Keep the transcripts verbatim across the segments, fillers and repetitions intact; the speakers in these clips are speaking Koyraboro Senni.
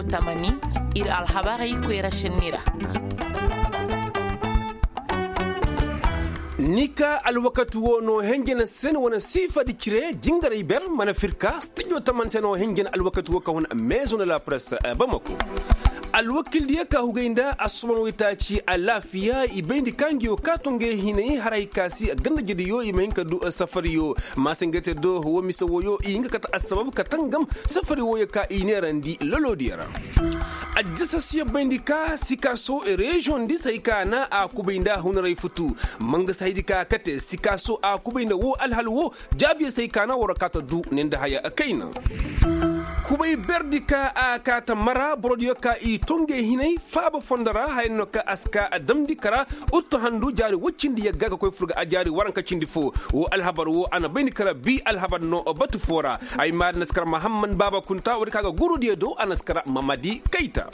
Tamani, ir alhabarey koyra šenni ra. Ni ka alwakati wo no henjena sen wane siifadi cire jingaray ber mana firka stijo taman sen wo henjena alwakati wo ka hun maison de la presse. Bamako alwakildiyo ka hugay nda assoban waytaaci alaafiya i bayndi ka ngi wo ka to ngey hinay haray ka si gandajediyo i ma hin ka du safariyo. Maasangayte do wo mise woyo i hin ka kate assabab ka tangam safari woyo ka i neerandi lolodiyo ra. Addisasiyo bayndi ka sikaaso reziyoŋ di se hay ka na a kubay nda hunaray futu. Mangasi haydi ka kate sikaaso a kubay nda wo alhal wo jaabiyo se hay ka na war kaata du ne nda haya kayna. Kubay berdi ka a kaata mara borodiyo ka i tongey hinay faaba fondo ra haya no ka a si ka damndi kara uttu handu jaari woy cindi yagga ka koy fur ga a jaari waranka cindi fo. Wo alhabar wo a na bayndi kara bi alhabar no batu fo ra. Ay maari na si kara mahamman baaba kunta woodi ka ga gurudiyo do a na si kara mamadi kayta.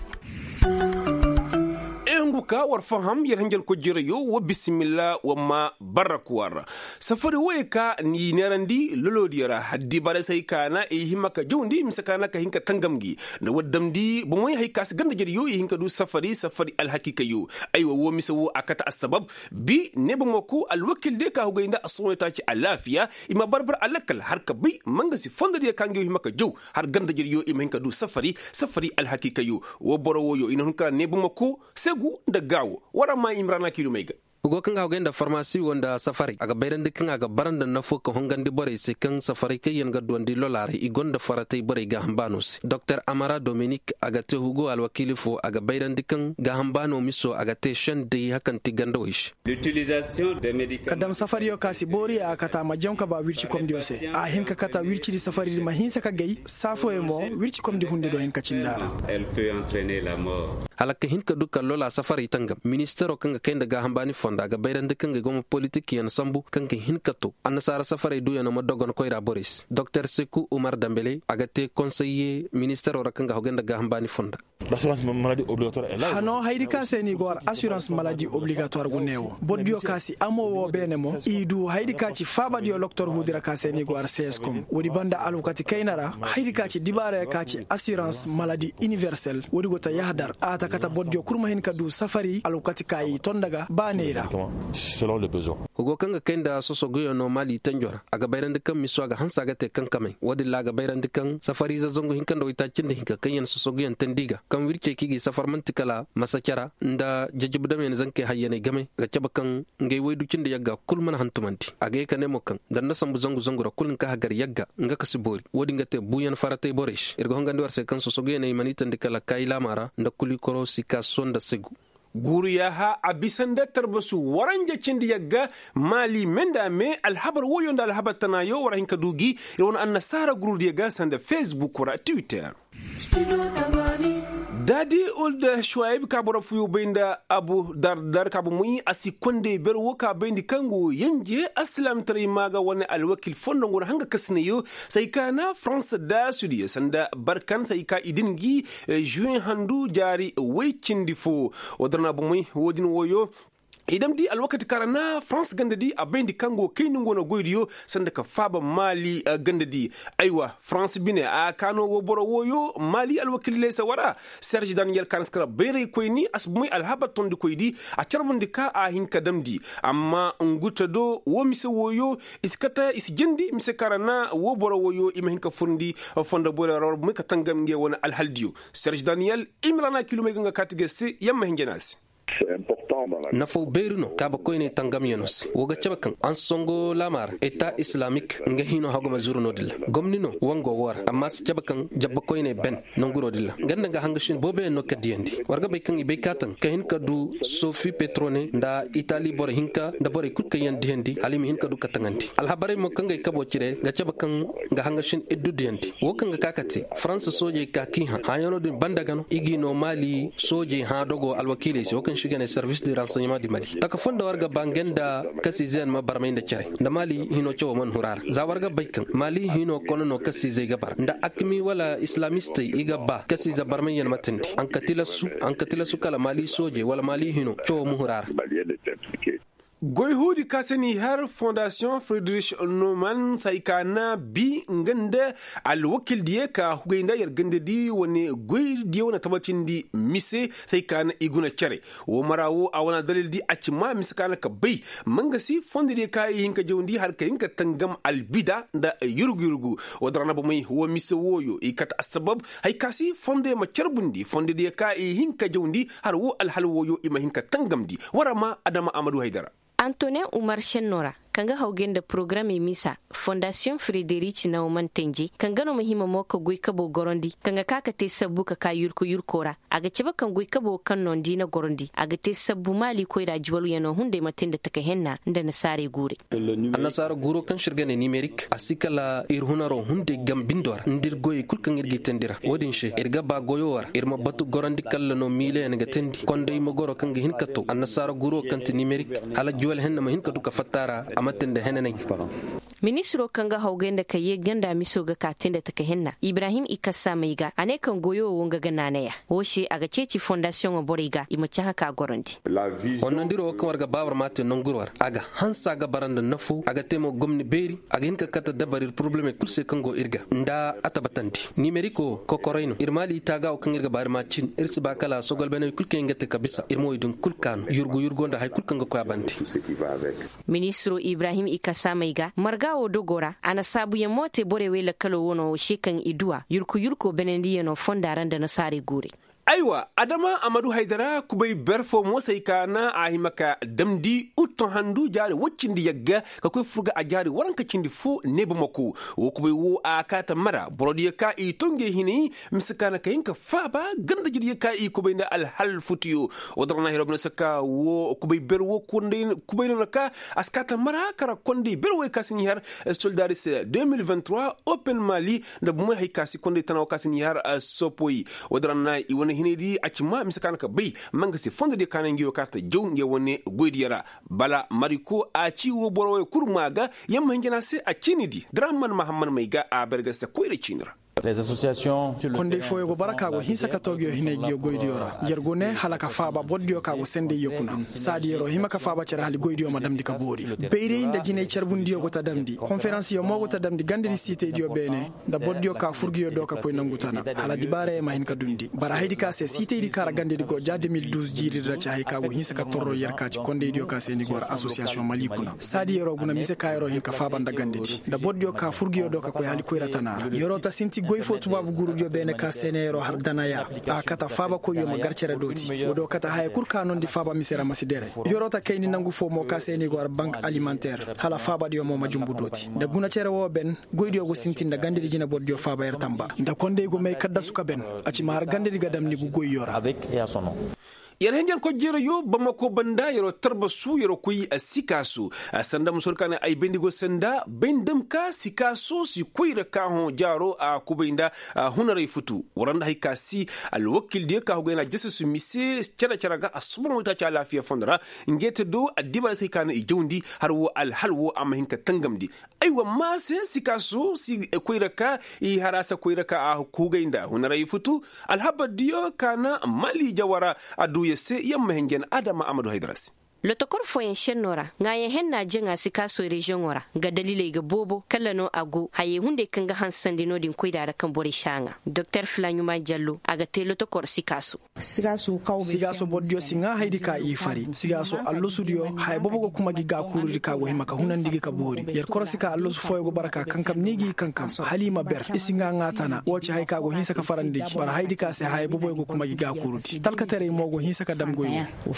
Ehungu ka war faham yer hanjar kojirayo wa bisimilla wa ma barraku war. Safari woye ka ni neerandi lolodiyo ra haddi bara sai ka na i hima ka jawndi mise ka na ka hinka tangamgi. Na waddamdi bomoy hay ka si ganda jariyo i hinka du safari safari alhakikayo. Aywa wo mise wo a kata assabab bi ne bomo ku alwakil de ka hugay nda assono ta ci alafiya. I ma barbar alakal har ka bay manga si fondo diyo ka ngi hima ka jaw har ganda jariyo i ma hinka du safari safari alhakikayo. Wo boro woyo i na hun kara ne buma ko segu nda gaawo. Wara ma imrana kiilumey ga. Go kaŋ ga hogay nda farmasi wo nda safaray a ga bayrandi kaŋ a ga bara nda nafo ka hongandi borey se kaŋ safaray kaŋ yaŋ ga duwandi lolaaray i gonda faratay borey gaaham baano se doktor amara dominik a ga te hugo alwakiili fo a ga bayrandi kaŋ gaaham baano miso a ga te sendey hakanti gandawey se. Ka dam safariyo ka si booriya a kata ma jaŋ ka ba wircikomdiyo se a hin ka kata wircidi safaridi ma hinsa ka gay saafoyo mo wircikomdi hunde do hin ka cinda ra. Hala ka hin ka du ka lola safaray tangam ministero kaŋ ga kay nda gaaham baani fondo a ga bayrandi kaŋ ga goma politikiyaŋ sambu kaŋ ga hin ka to annasaara safaray duyaŋo ma dogon koyra borey se doktor seku umar dambele a ga te konseye ministero ra kaŋ ga hogay nda gaaham baani fondo. Hano haydi ka se ni go war assurance maladi obligatoire go neewo bordiyo ka si amo wo beene mo i du haydi ka ci faabadiyo loktor huudi ra ka se ni go war cscom woodi banda alwakati kayna ra haydi ka ci dibaarayo ka ci assurance maladi universel woodi go ta yahdar a ta kata bordiyo kul ma hin ka du safari alwakati ka i tonda ga baaney ra. Hugo kaŋ ga kay nda sosoguyo no maali tanjo ra a ga bayrandi kaŋ miso a ga hanse a ga te kankamey woodin ra a ga bayrandi kaŋ safariize zangu hinka nda waytaaci nda hinka kaŋ yaŋ sosoguyaŋ teendi ga kaŋ wircey kaŋ i g'i safar man'ti kala masacara nda jajabdamyaŋ zankey hayyaney game ga cabe kaŋ ngey waydu cindi yagga kul mana hantumandi a ga ye ka ne mo kaŋ nda nda sambu zangu zangu ra kul nka hagar yagga nga ka si boori woodin ga te buuyaŋ faratay borey se ir ga hongandi war se kaŋ sosoguyaŋey mana i teendi kala kaayi laama ra nda kulikoro sikaso nda segu. Guuru yaaha a bisa nda tarbasu waranja cindi yagga maali me nda me alhabar woyo nda alhabar tanaayo war a hin ka du gi ir wane annasaara gurudiyo ga sanda facebook ra twitter. Daadi ulda shuwayb ka boro fuyo bay nda abu dardar ka bumoy a si kondey ber wo ka bayndi kaŋ go yanje aslaamtaray maa ga wane alwakil fondo ngu ra hanga kasinayo. Say ka na farans daasudiyo sanda barkan say ka i din gi juwen handu jaari way cindi fo. Wo-din ra bomoy wo-din woyo i damndi alwakati kaŋ ra na farans gandadi a bayndi kaŋ go kayni nga wane goydiyo sanda ka faaba maali gandadi. Aywa farans bine a kaano wo boro woyo maali alwakililey se wara serge daniyel kaŋ a na si kara bayraykoyni a si bomoy alhabar tondikoydi a carbundi ka a hin ka damndi. Amma nguta do wo mise woyo i si kate i si jindi mise kaŋ ra na wo boro woyo i ma hin ka furndi fondo borey ra war bomoy ka tangam ngey wane alhaldiyo. Serge daniyel i ma ra na kilomey ga nga kaati ga se yamma hinja no a se. Nafaw beeri no kaabakoyney tangamyano se wo ga cabe kaŋ ansongo laama ra eta islamik nga hino haguma zuru no-din ra gomni no wango wo ra amma si cabe kaŋ jabbakoyney ben nanguro-din ra nga nda nga hangasin booboyaŋ no ka diyandi war ga bay kaŋ i bay kaataŋ ka hin ka du sofi petrone nda itali boro hinka nda borey kul kaŋ yaŋ diyandi hala i ma hin ka du ka taŋandi alhabarey mo kaŋ ga ay kabo cire ga cabe kaŋ ga hangasin iddu diyandi wo kaŋ ga ka ka te faransa soojey ka k'i hã hãyano din banda ga no i g'i no maali soojey hã dogo alwakiiley se wo kaŋ se i ga ne servis de ransaynement du mali taka fondo war ga ba nga nda kasiizeyaŋ ma barmay nda care nda maali hino cawo mana huru a ra za war ga bay kaŋ maali hino kone no kasiizey ga bara nda akmi wala islamistey i ga ba kasiize barmayyaŋ ma tindi a nga ka tilasu kala maali soojey wala maali hino cawo ma huru a ra. Goy huudi ka se n'i har fondasiyoŋ frederic noman se hay ka na bi nga nda alwakildiyo ka hugay nda yer gandadi wane goydiyo na tabatindi mise se hay ka na i guna cere. Wo mara wo a wane adalildi a ci ma mise ka na ka bay, mangasi fondodiyo ka i hin ka jawndi hala ka hin ka tangam albida nda yurgu yurgu. Wo din ra na bomey wo mise wooyo i kate assabab, hay ka si fondoyo ma carbundi fondodiyo ka i hin ka jawndi hala wo alhal wooyo i ma hin ka tangamndi. War a ma adama amadu haydara. Antonin umar senno ra, kaŋ ga hawgay nda porogaramey misa fondasiyoŋ frederic nawman tenje kaŋ ga no ma hima mo ka goy kabo gorandi kaŋ ga ka ka te sabbu ka ka yurko yurko ra. A ga cabe kaŋ goy kabo kaŋ no nda i na gorandi a ga te sabbu maali koyra juwalyaŋo hunday ma te nda taka henna nda nasaarey guurey. Annasaara guuro kaŋ se ir ga ne nimerik a si kala ir hunaro hunday gam bindo ra nda ir goyey kul kaŋ ir g'i teendi ra wo-din se ir ga ba goyo ra ir ma batu gorandi kalla no miilayaŋ ga teendi konday ma goro kaŋ ga hin ka to annasaara guuro kaŋ ti nimerik, hala juwal henna ma hin ka du ka fatta ra a ma te nda henanay. Ministiro kaŋ ga hawgay nda ka yee ganda miso ga ka te nda taka henna ibrahim i kassa may ga a ne kaŋ goyo wo nga ga naanaya wo se a ga ceeci fondasiyoŋo borey ga i ma cahã ka gorandi. Honnandiro wo kaŋ war ga baabur ma te nanguro ra a ga hanse a ga bara nda nafo a ga te mo gomni beeri a ga hin ka kate dabarir porobalemey kul se kaŋ go ir ga nda a tabatandi nimeriko kokoray no ir maali taaga wo kaŋ ir ga baari ma cin ir si ba kala sogolbeney kul kaŋ yaŋ ga te ka bisa ir ma wey din kul kaanu yurgu yurgo nda hari kul kaŋ ga koy a bande. Ministiro ibrahim i kasaamey ga marga wo dogo ra a na saabuyaŋ mo te borey wey lakkalo wo no wo se kaŋ i du a yurku yurko benendiyaŋo fonda ra nda nasaarey guurey. Aywa adama a ma du haydara kubay ber fo mo se ay ka na a hima ka damndi utton handu jaari woy cindi yagga ka koy furga a jaari waranka cindi fo neeba mako. Wo kubay wo a kaata mara borodiyo ka i to ngey hinay mise ka na ka hin ka faaba ganda jiriyo ka i kubay nda alhal futuyo. Wo dora na hiro bine se ka wo kubay ber wo kubay no na ka a si kaata mara kara kondey ber wo ay ka si n'i har soldaari se deux mille vingt-trois open mali nda bumey hay ka si kondey tana wo ka si n'i har sopoy. Wo dora na i wane hinay di a ci ma mise ka na ka bay ma nga se fondo diyo ka na nga yo ka ta jaw nga wane goy diyo ra. Bala mariko a ci wo boro wo kul ma ga yamma hinjana se a ci ni di dora man mahamman may ga a berga se koyra ci ni ra. Kondey fooyo go bara ka go hinsa ka toogiyo hinay giyo goydiyo ra. Yer go ne hala ka faaba bordiyo ka go sendey ye kuna saadi yer'o hima ka faaba cere hala goydiyo ma damndi ka boori. Bayray nda jinay carbundiyo go ta damndi konferansiyo mo go ta damndi gandadi siitaydiyo beene nda bordiyo ka furguyo do ka koy nangu tana hala dibaarayo ma hin ka dundi bara haydi ka se siitaydi ka ra gandadi go ja deux mille douze jiiridi ra ci hay ka go hinsa ka torro yer ka ci kondaydiyo ka se ni go ra asosiyasiyoŋ mali kuna saadi yer'o guna mise ka yer'o hin ka faaba nda gandadi nda bordiyo ka furguyo do ka koy hala koyra tana ra yer'o ta sinti goy fo tubaabu guurudiyo beene ka se ne yer'o har danaya. A kata faaba koyyo ma gar cere dooti wo do kata haya kul ka noondi faaba mise ra ma si dere. Yer'o ta kayndi nangu fo mo ka se ni go har bank alimanteer hala faabadiyo mo ma jumbu dooti nda guna cere wo ben. Goydiyo go sintin nda gandadi jine bordiyo faaba yer tamba nda kondey go may kaddasu ka ben a ci ma har gandadi ga dam ni gu goyyo ra. Yer henjen kojjerayo bamako banda yer'o tarbasu yer'o koy sikaaso. Sanda musol ka ne ay bayndi go sanda bay nda ma ka sikaaso si koy ra ka hõ jaaro a kubay nda hunaray futu wara nda hay ka si alwakildiyo ka hugay na jasasu mise cere cere ga a sobono waytaaci alaafiya fondo ra. Ngey te do addibaara se hay ka no i jawndi har wo alhal wo a ma hin ka tangamndi. Aywa ma se sikaaso si koy ra ka i haraasa koy ra ka a hugay nda hunaray futu. Alhabardiyo ka na mali jawara a du ya se yamma henjen adama amadu haydara se. Lotokor fooyaŋ šenno ra ŋaayaŋ henna jaŋa sikaaso reziyoŋo ra nga daliley ga boobo kala no a go hayey hunday kaŋ ga hansandi no-din koyra ra kaŋ borey si a ŋaa doktor filaɲuma jallo a ga te lotokor sikaaso. Sigaaso bordiyo si ŋaa haydi ka i fari sigaaso allasudiyo haya boobo ga kuma gi gaakuurudi ka go hima ka hunandi gi ka boori yer korosi ka allasu fooyo go bara ka kankam ni gi kankam hala i ma ber i si ŋaa ŋaa tana wo ci haya ka go hinsa ka farandi gi bara haydi ka se haya booboyo go kuma gi gaakuurudi talkataray mo go hinsa ka dam goy wo.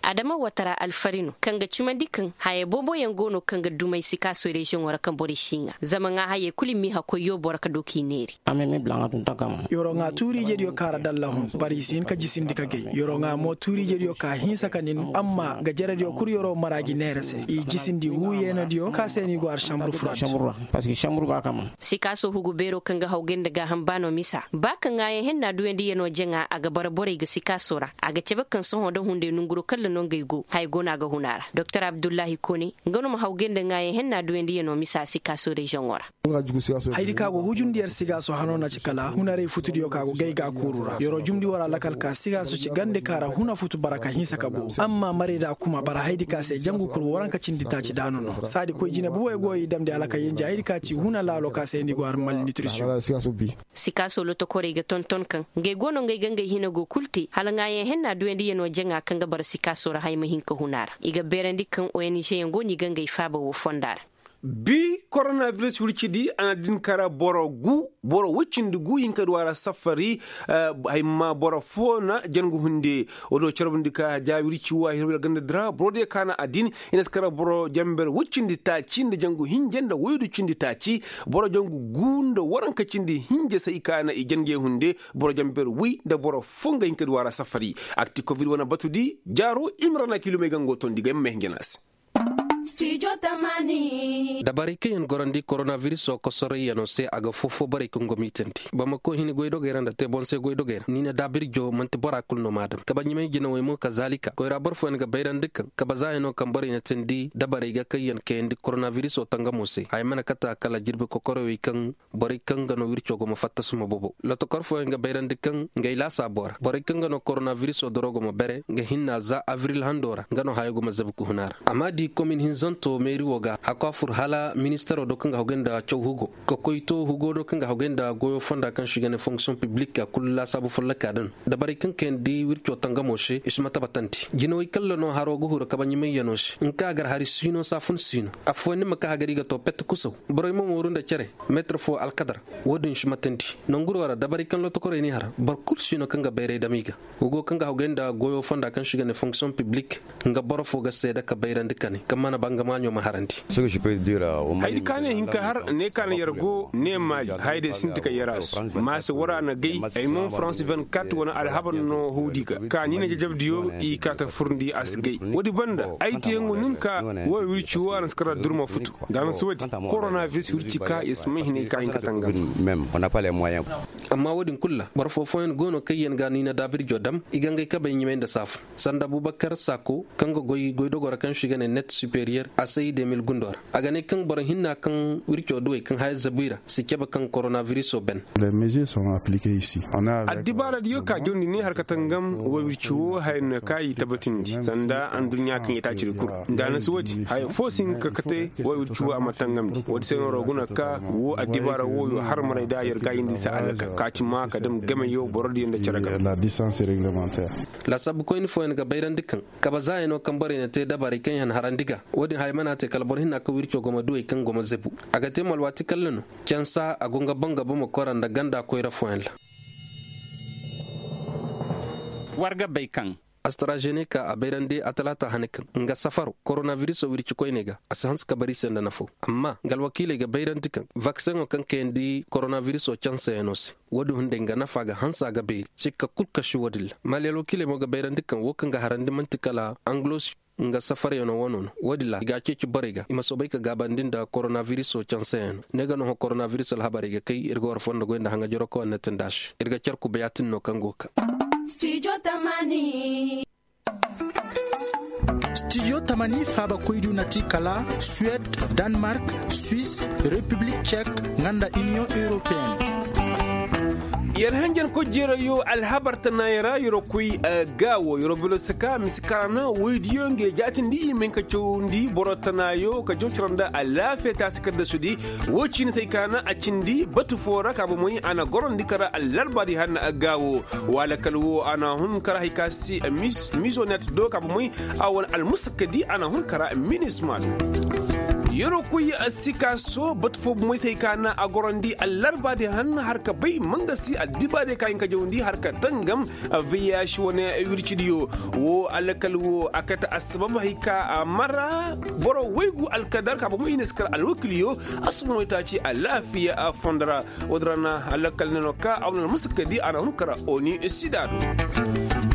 Adama watara alfari no kaŋ ga cimandi kaŋ haya booboyaŋ go no kaŋ ga dumay sikaaso reziyoŋo ra kaŋ borey si ŋaa zama ŋaa hayey kul i m'i hakkoy yoobo ra ka du k'i neeri. Yer'o ŋaa tuuriijediyo ka ra dalla hun bara i si hin ka jisindi ka gay yer'o ŋaa mo tuuriijediyo ka hinsa ka nin amma gajerediyo kul yer'o mara gi neere se i jisindi wuu yeenadiyo ka se no i go har sanbur furandi. Sikaaso hugu beero kaŋ ga hawgay nda gaaham baano misa ba ka ŋaayaŋ henna duyandiyanoo jaŋa a ga bara borey ga sikaaso ra a ga cabe kaŋ sohõ nda hunday nonguroo kaŋ ra. no ngey go haya go no a ga huna ra. Doktor abdullahi kone nga no ma hawgay nda ŋaayaŋ henna duwandi yano misa sikaaso reziyoŋo ra. Hayadi ka go hujundi yer sigaaso hano na ci kala hunaray futudiyo ka go gay ga a kuuru ra yer'o jumndi war alakal ka sigaaso ci gande ka ra huna futu bara ka hinsa ka boobo amma marayda kuma bara hayadi ka se jangu kul waranka cindi taaci daanu no saadi koy jine bubey go i damndi alakal yenje hayadi ka ci huna laalo ka se ni go har malnitrisiyoŋ. Sikaaso lotokorey ga tonton kaŋ ngey go no ngey ga ngey hina go kul te hala ŋaayaŋ henna duwandi yano jaŋa kaŋ ga bara sikaaso ra haya ma hin ka huna ra i ga beerandi kaŋ ong yaŋ go no i ga ngey faaba woo fonda ra. Bi koronabiris wircidi a na din kara boro gu boro woy cindi gu hinka du a ra safari. Hay ma boro foo na jangu hunde woo do carbundi ka ja wirci woo a hirwey ra ganda di ra boro diyo ka na a din i na si kara boro janber woy cindi taaci nda jangu hinja nda woydu cindi taaci. Boro jangu gu nda waranka cindi hinja se i ka na i jangey hunde boro janber woy nda boro foo nga hinka du a ra safari. Akti kobid wane batudi jaaro i ma ra na kiilumey gango tondi ga ay ma may hinja no a se. Dabarey kaŋ yaŋ gorandi koronabirisoo kosorayyanoo se a ga foo-foo borey kaŋ go miitandi bamako hini goydogey ra nda teebonse goydogey ra niina daabirjoo man'ti bora kul no m'a dam kaba ɲumay jinawey mo kazaalika koyra boro fooyaŋ ga bayrandi kaŋ kaba zaayanoo kaŋ borey na teendi dabarey ga kaŋ yaŋ kayandi koronabirisoo tangamoo se haya mana kate a kala jirbi kokorowey kaŋ borey kaŋ ga no wirco go ma fatta suma bobo lotokor fooyaŋ ga bayrandi kaŋ ngey laasaaboo ra borey kaŋ ga no koronabirisoo doro go ma bere nga hinna za abril handoo ra nga no hayo go ma zabi ka hun a ra a m'a di komin hinzanto meeri woo ga hakku a fur hala ministaroo do kaŋ ga hawgay nda caw hugo ka koy to hugo do kaŋ ga hawgay nda goyoo fonda kaŋ se i ga ne fonksiyoŋ piblik a kul laasaabu follokaa din dabarey kaŋ kayandi wirco tangamoo se i si ma tabatandi jinawey kalla no haroo ga huru kabaɲumayyanoo se nga kaŋ a gar hari siino saafun siino affooyaŋ ni ma ka hagar i ga to pet kusaw borey ma mooru nda cere meetir foo alkadar woo din si matandi nanguroo ra dabarey kaŋ lotokorey n'i har boro kul si no kaŋ ga bayray dam i ga hugo kaŋ ga hawgay nda goyoo fonda kaŋ se i ga ne fonksiyoŋ piblik nga boro foo ga seeda ka bayrandi kane kaŋ mana ba nga maaɲo ma harandi. Hayadi ka ne hin ka har ne ka na yer go ne maali hayday sinti ka yer a su ma se war a na gay ay mo farans vingt-quatre wane alhabar no hawdi ga ka ni na jajabdiyo i ka ta furndi a si gay woodi banda ay teeyaŋo nin ka woo wirci woo a na si kar ra durma futu nda a na si woodi koronabiris wirci ka i si may hinay ka hin ka tangam. Amma woodin kul ra boro foo fooyaŋ go no kaŋ yaŋ ga niina daabirjo dam i ga ngey kabey ɲumay nda saafu sanda abubakar saako kaŋ ga goy goydogoo ra kaŋ se i ga ne net superiyer a say de mil gundoo ra a ga ne kaŋ boro hinna kaŋ wirco duwey kaŋ haya zabu i ra si cabe kaŋ koronabirisoo ben. Addibaaradiyo ka jawndi ne har ka tangam woo wirci woo haya no ka i tabatindi sanda adduɲɲa kaŋ i taacidi kul nda a na si woodi haya foo si hin ka kate woo wirci woo a ma tangamndi woodi se no ra guna ka woo addibaara wooyo har maray da yer gaayindi se alaka ka ci ma ka dam gameyo borodiyo nda cere ga. Laasaabukoyni fooyaŋ ga bayrandi kaŋ kaba zaayanoo kaŋ borey na te dabarey kaŋ i han harandi ga woodin haya mana te kala boro hinna kaŋ wirco go ma duwey kaŋ go ma zebu a ga te mo alwaati kalla no cansa a go nga boŋ ga bomo kora nda ganda koyra fooyaŋ ra. War ga bay kaŋ astarazeneka a bayrandi a talaata hane kaŋ nga safaro koronabirisoo wirci koyney ga a si hanse ka bar i se nda nafaw amma nga alwakiiley ga bayrandi kaŋ vakseŋo kaŋ kayandi koronabirisoo canseyaŋo se woodin hunday nga nafa ga hanse a ga beeri sikka kul kasi woodin ra maali alwakiiley mo ga bayrandi kaŋ woo kaŋ ga harandi man'ti kala anglosiyo nga safaryaŋo wano no woodin ra i ga a ceeci borey ga i ma soobay ka gaabandi nda koronabirisoo canseyaŋo ne ga no hõ koronabiris alhabarey ga kay ir ga war fondo goy nda haŋajaroo kaŋ war na tindi a se ir ga car kubayaatin no kaŋ go ga ka. Stijo tamani faaba koydu na ti kala suwed, danmark, swis, repiblik cek, nga nda iniyoŋ europeyen. Yer hanjan koy jeerayo alhabar tanaayey ra yer'o koy, gaawo yer'o belosa ka mise kaŋ ra na woydiyo ngey jaatindi i ma hin ka cawandi boro tanaayo ka jaw cara nda alaafiya taasi kaddasudi. Woo ciini se ay kaana a cindi batu foo ra ka bomey a na gorandi kara allarbaadi hanna gaawo. Woo alakal woo a na hun kara hay ka se mizonet do ka bomey a wane almusakadi a na hun kara minisma do. Yer'o koy sika so batu foo bomey se hay kaana a gorandi allarbaadi hanna har ka bay mangasi addibaadiyo ka hin ka jawandi har ka tangam. Viyaasi wane wircidiyo woo alakal woo a kate assabab hay ka mara boro waygu alkadar ka bomey i na si kar alwakiliyo. Assumano taaci alaafiya fondo ra. Woodin ra na alakal ne no ka a wane almusakadi a na hun kara oni sida do.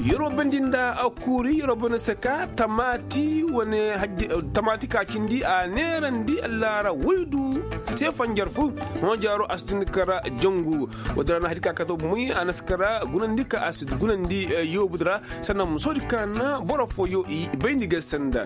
Yeroo bandi nda a kuuri yeroo bandi se ka tamaati wane hajji tamaati ka cindi a neerandi allaara waydu se fanjar fu. Hõ jaaro a si tun kara jangu. Wada ra na hadi ka kato bumey a na si kara gunandi ka a si gunandi yoobu di ra. Sannan musoodi ka na boro fooyo i bayndi ga sanda.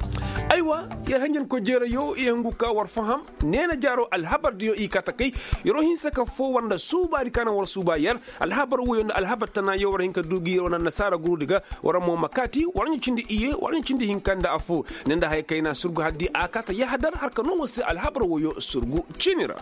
Aywa, yer hanjankoy jeerayo i hangu ka war faham. Neena jaaro alhabar diyo i ka takay. Yeroo hinsa ka foo war nda suubaadi ka na war suuba yer. Alhabar woyo nda alhabar tana yo war hin ka du gi yer wane annasaara guruudi ga. War mo ma kaati war ɲa cindi iye war ɲa cindi hinka nda affoo. Ne nda haya kayna surgu haddi a kaata yahadar har ka noo war se alhabar woyo surgu ciini ra.